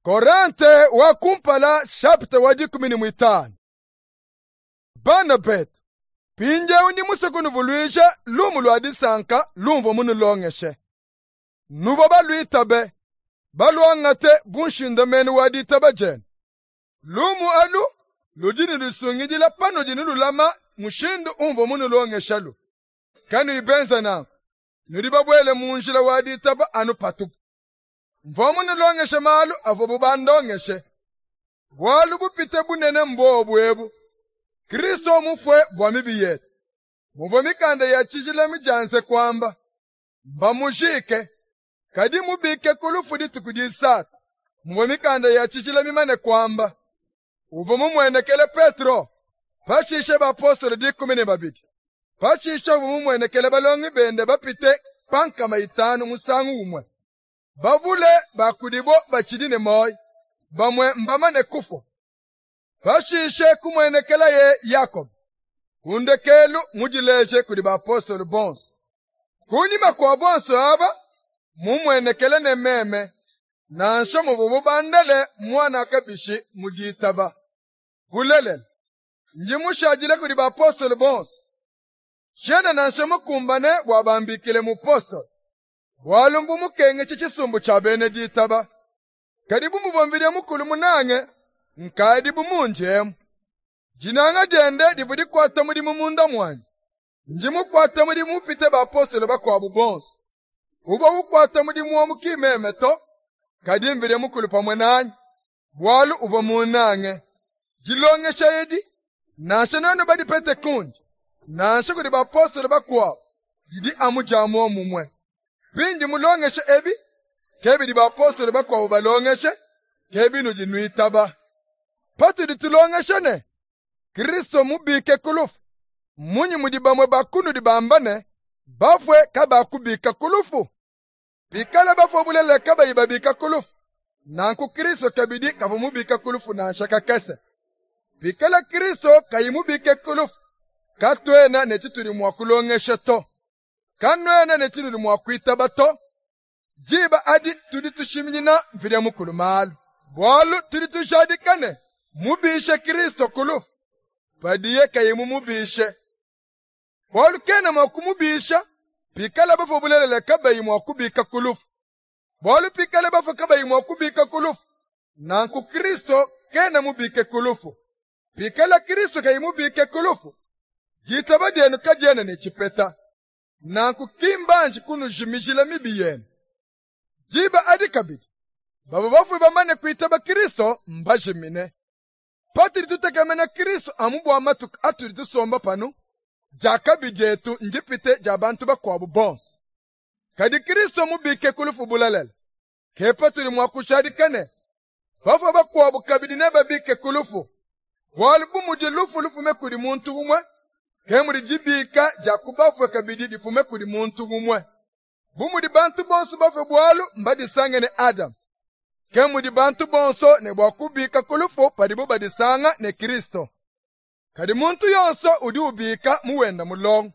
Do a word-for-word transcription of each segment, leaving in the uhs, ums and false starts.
Korente wa kumpala chapitre wa dikumi ne muitanu. Bana betu, mpindieu ndi musue kunuvuluija lumu lua disanka lumvua munulongeshe. Nuvua baluitabe, baluangate bu nshindamenu wa ditaba dienu. Lumu alu ludi nulusungidila panudi nululama mushindu umvua munulongeshalu. Kanuyi benza nanku, nudi babuele mu njila wa ditaba anu patupu. Mvua munulongeshe malu avuabu bandongeshe. Bualu bupite bunene mbobu ebu: Kristo mufue bua mibi yetu. Muvua mikanda ya tshijila midianze kuamba, mbamujike, kadi mubike ku lufu dituku disatu. Muvua mikanda ya tshijila mimane kuamba, uvua mumuenekele Petro, pashishe bapostolo dikumi ne babidi. Pashishe uvua mumuenekele balongi bende bapite pa nkama itanu musangu umue. Bavule ba kudibo batshidi ne muoyo, bamue mbamane kufua. Pashishe kumuenekelaye Yakobo, ku ndekelu mudileje kudi bapostolo bonso. Kunyima kua bonso aba, mumuenekele ne meme, nansha muvuabu bandele muana kabishi mu ditaba. Bulelela, ndi mushadile kudi bapostolo bonso. Tshiena nansha mukumbane bua bambikile mupostolo, bualu mbu mukengeshe tshisumbu tshia bena ditaba. Kadi bu muvua Mvidi Mukulu munange, nkadi bu mundi emu. Dinanga diende divua dikuata mudimu munda muanyi. Ndi mukuate mudimu mupite bapostolo bakuabu bonso. Uvua ukuata mudimu wa ki meme to, kadi Mvidi Mukulu pamue nanyi, bualu uvua munange. Dilongesha edi, nansha nuenu badipete kundi, nansha kudi bapostolo bakuabu, didi amu dia muomumue. Bindi mulongeshe ebi, ke bidi bapostolo bakuabu balongeshe, ke binudi nuitaba. Patudi tulongesha ne Kristo mubike ku lufu, mmunyi mudi bamue ba kunudi bamba ne bafue kabakubika ku lufu? Bikala bafue bulelela kabayi babika ku lufu, nanku Kristo kabidi kavua mubika ku lufu nansha kakese. Bikala Kristo kayi mubike ku lufu, katuena ne tshitudi mua kulongesha to, kanuena ne tshinudi mua kuitaba to. Diba adi tudi tushiminyina Mvidi Mukulu malu, bualu tudi tujadika ne mubishe Kristo ku lufu, padiye kayi mumubishe. Bualu kena mua kumubisha pikala bafue bulelela kabayi mua kubika ku lufu. Bualu pikala bafue kabayi mua kubika ku lufu, nanku Kristo kena mubike ku lufu. Pikala Kristo kayi mubike ku lufu, ditaba dienu kadiena ne tshipeta. Nanku ki mbanji kunujimijila mibi yenu. Diba adi kabidi, bavua bafue bamane kuitaba Kristo mbajimine. Patudi tutekemena Kristo amu bua matuku atudi tusomba panu, diakabi dietu ndipite dia bantu bakuabu bonso. Kadi Kristo mubike ku lufu bulelela, ke patudi mua kujadika ne bafue bakuabu kabidi nebabike ku lufu. Bualu bu mudi lufu lufume kudi muntu umue, ke mudi dibika dia ku bafue kabidi difume kudi muntu umue. Bu mudi bantu bonso bafue bualu mbadisange ne Adamu, ke mudi bantu bonso ne bua kubika ku lufu padibu badisanga ne Kristo. Kadi muntu yonso udi ubika muwenda mulongo.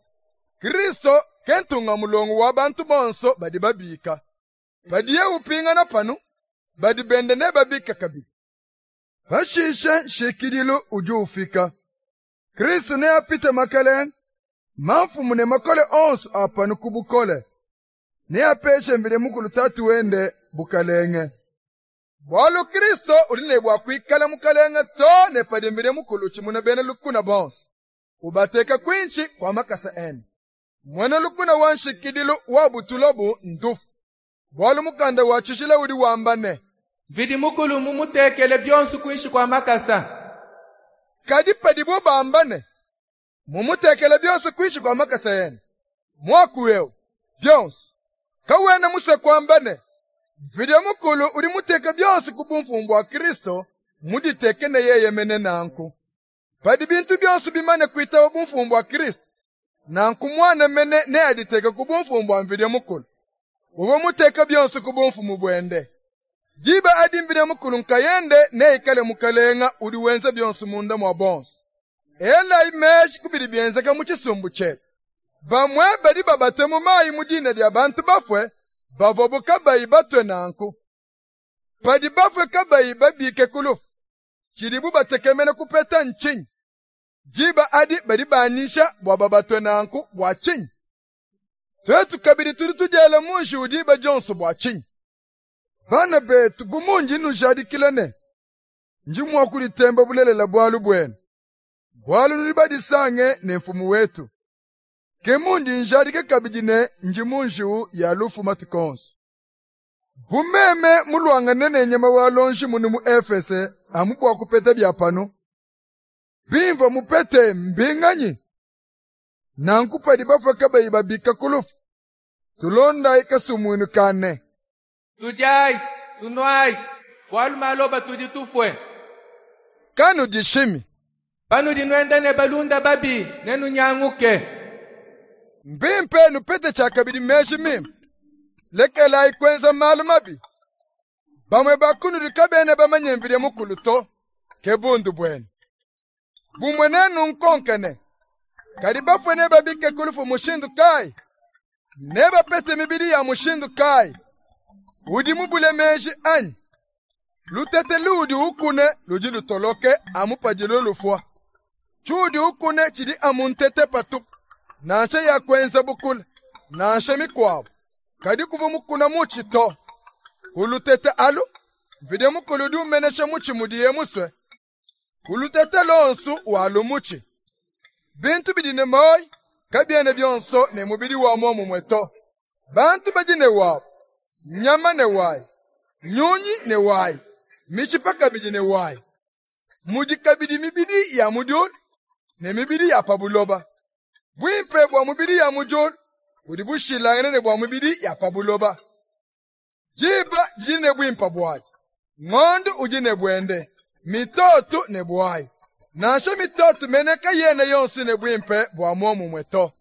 Kristo ke ntunga mulongo wa bantu bonso badi babika. Padiye upingana panu, badi bende nebabike kabidi. Pashishe nshikidilu udi ufika. Kristo neapite makalenge, mamfumu ne makole onso a panu ku bukole. Neapeshe Mvidi Mukulu Tatu wende bukalenge. Bualu Kristo udi ne bua kuikala mukalenge too ne padi Mvidi Mukulu utshimuna bena lukuna bonso, ubateka kuinshi kua makasa ende. Muena lukuna wa nshikidilu wabutulabu ndufu. Bualu mukanda wa tshijila udi wamba ne, Mvidi Mukulu mumutekele bionso kuinshi kua makasa. Kadi padibo bamba ne, mumutekele bionso kuinshi kua makasa ende, muaku eu bionso kawena musue kuamba ne Mvidi Mukulu udi muteke bionso ku bumfumu bua Kristo muditeke ne yeye mene nanku. Padi bintu bionso bimane kuitaba bumfumu bua Kristo, nanku muana mene neaditeke ku bumfumu bua Mvidi Mukulu, uvua muteke bionso ku bumfumu buende. Diba adi Mvidi Mukulu nkayende neikale mukalenga udi wenza bionso munda mua bonso. Elayi meji ku bidi bienzeka mu tshisumbu tshietu. Bamue badi babate mu mayi mu dina dia bantu bafue, bavuabu kabayi batue nanku. Padi bafue kabayi babike ku lufu, tshidibu batekemena kupeta ntshinyi? Diba adi badi banyisha bua babatue nanku bua tshinyi? Tuetu kabidi tudi tudiela mu njiwu diba dionso bua tshinyi? Bana betu, bu mundi nnujadikila ne, ndi mua kuditemba bulelela bualu buenu, bualu nudi badisange ne Mfumu wetu. Ke mundi njadika kabidi ne ndi mu njiwu ya lufu matuku onso. Bu meme muluangane ne nyama wa lonji munu mu Efese amu bua kupeta bia panu, bimvua mupete mbinganyi? Nanku padi bafue kabayi babika ku lufu, tulondayi kasumuinu ka ne, Tudiayi, tunuayi, bualu maloba tudi tufue. Kanudishimi. Panudi nuenda ne balunda babi, nenunyanguke. Mbimpe nupete tshiakabidi meji mimpe. Lekelayi kuenza malu mabi. Bamue ba kunudi kabena bamanye Mvidi Mukulu to, ke bundu buenu. Bumue nenunkonke ne, kadi bafue nebabike ku lufu mushindu kayi? Nebapete mibidi ya mushindu kayi? Udi mubule meji anyi? Lutete luudi ukune ludi lutoloke amu padilu lufua. Tshiudi ukune tshidi amu ntete patupu, nansha ya kuenza bukula, nansha mikuabu. Kadi kuvua mukuna mutshi to. Ku lutete alu, Mvidi Mukulu udi umenesha mutshi mudiye musue. Ku lutete lonsu walu mutshi. Bintu bidi ne muoyo kabiena bionso ne mubidi wa muomumue to. Bantu badi ne wabu, nyama ne wayi, nyunyi ne wayi, mitshipa kabidi ne wayi. Mudi kabidi mibidi ya mu diulu ne mibidi ya pa buloba. Buimpe bua mubidi ya mu diulu budi bushilangane ne bua mibidi ya pa buloba. Diba didi ne buimpe buadi, ngondo udi ne buende, mitoto ne buayi. Nansha mitoto mene kayena yonso ne buimpe bua muomumue to.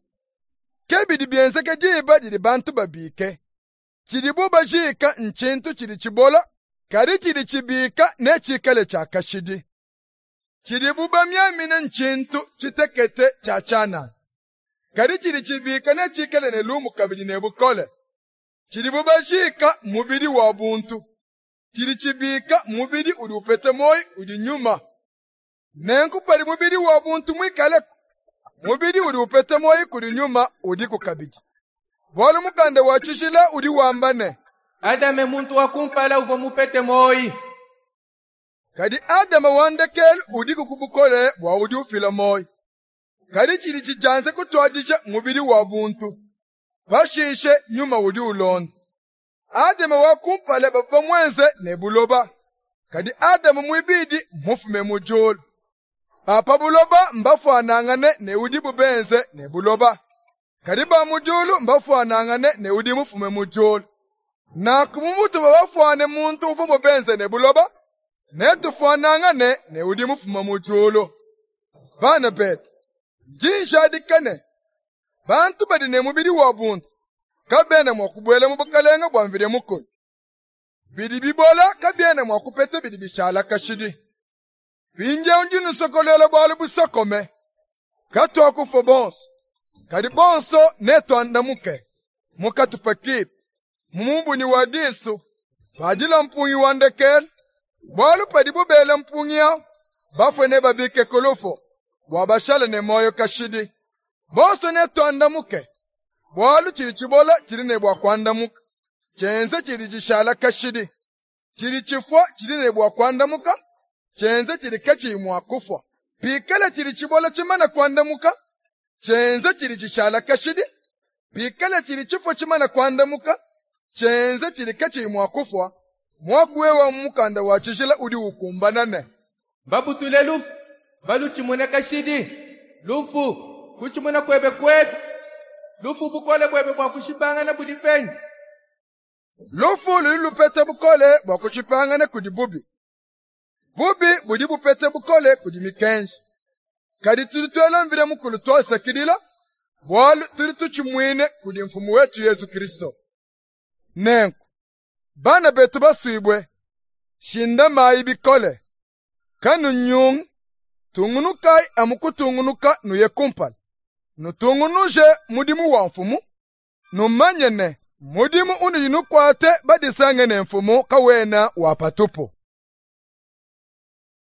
Ke bidi bienzeke diba didi bantu babike. Tshidibu bajika ntshintu tshidi tshibola, kadi tshidi tshibika netshikale tshia kashidi. Tshidibu bamiamina ntshintu tshitekete tshia tshianana, kadi tshidi tshibika netshikale ne lumu kabidi ne bukole. Tshidibu bajika mubidi wa buntu, tshidi tshibika mubidi udi upeta muoyo udi nyuma. Nenku padi mubidi wa buntu muikaleku, mubidi udi upeta muoyo kudi nyuma udiku kabidi. Bualu mukanda wa tshijila udi wamba ne, Adame muntu wa kumpala uvua mupete muoyo. Kadi Adama wa ndekelu udiku ku bukole bua udi ufila muoyo. Kadi tshidi tshidianze kutuadija mubidi wa buntu, pashishe nyuma udi ulonda. Adama wa kumpala bavua bamuenze ne buloba, kadi Adama muibidi mufume mu diulu. Ba pa buloba mbafuanangane ne udibu benze ne buloba, kadi ba mu diulu mbafuanangane ne udi mufume mu diulu. Nanku mu mutuvua bafuane muntu uvuabu benze ne buloba, netufuanangane ne udi mufume mu diulu. Bana betu, ndi njadika ne, bantu badi ne mubidi wa buntu kabena mua kubuela mu bukalenga bua Mvidi Mukulu. Bidi bibola kabiena mua kupeta bidi bishala kashidi. Mpindieu ndi nnusokoluela bualu busokome. Katuakufua bonso, kadi bonso netuandamuke mu katupa kipi, mu mubunyi wa disu, padila mpungi wa ndekelu. Bualu padibu bela mpungi awu, bafue nebabike ku lufu, bua bashale ne muoyo kashidi. Bonso netuandamuke, bualu tshidi tshibola tshidi ne bua kuandamuka, tshienze tshidi tshishala kashidi. Tshidi tshifua tshidi ne bua kuandamuka, tshienze tshidi katshiyi mua kufua. Pikala tshidi tshibola tshimana kuandamuka, tshienze tshidi tshishala kashidi. Pikala tshidi tshifua tshimana kuandamuka, tshienze tshidi katshiyi mua kufua. Muaku wewe mu mukanda wa tshijila udi ukumbana ne, Babutule lufu, balutshimune kashidi. Lufu, kutshimuna kuebe kuepi? Lufu bukole buebe bua kushipangana budi penyi? Lufu ludi lupeta bukole bua kushipangana kudi bubi. Bubi budi bupeta bukole kudi mikenji. Kadi tudi tuela Mvidi Mukulu tuasakidila, bualu tudi tutshimuine kudi Mfumu wetu Yesu Kristo. Nenku, bana betu basuibue, shindamayi bikole, kanunyungi, tungunukayi amu kutungunuka nuye kumpala. Nutungunuje mudimu wa Mfumu, numanye ne, Mudimu unudi nukuate badisange ne mfumu kawena wa patupu.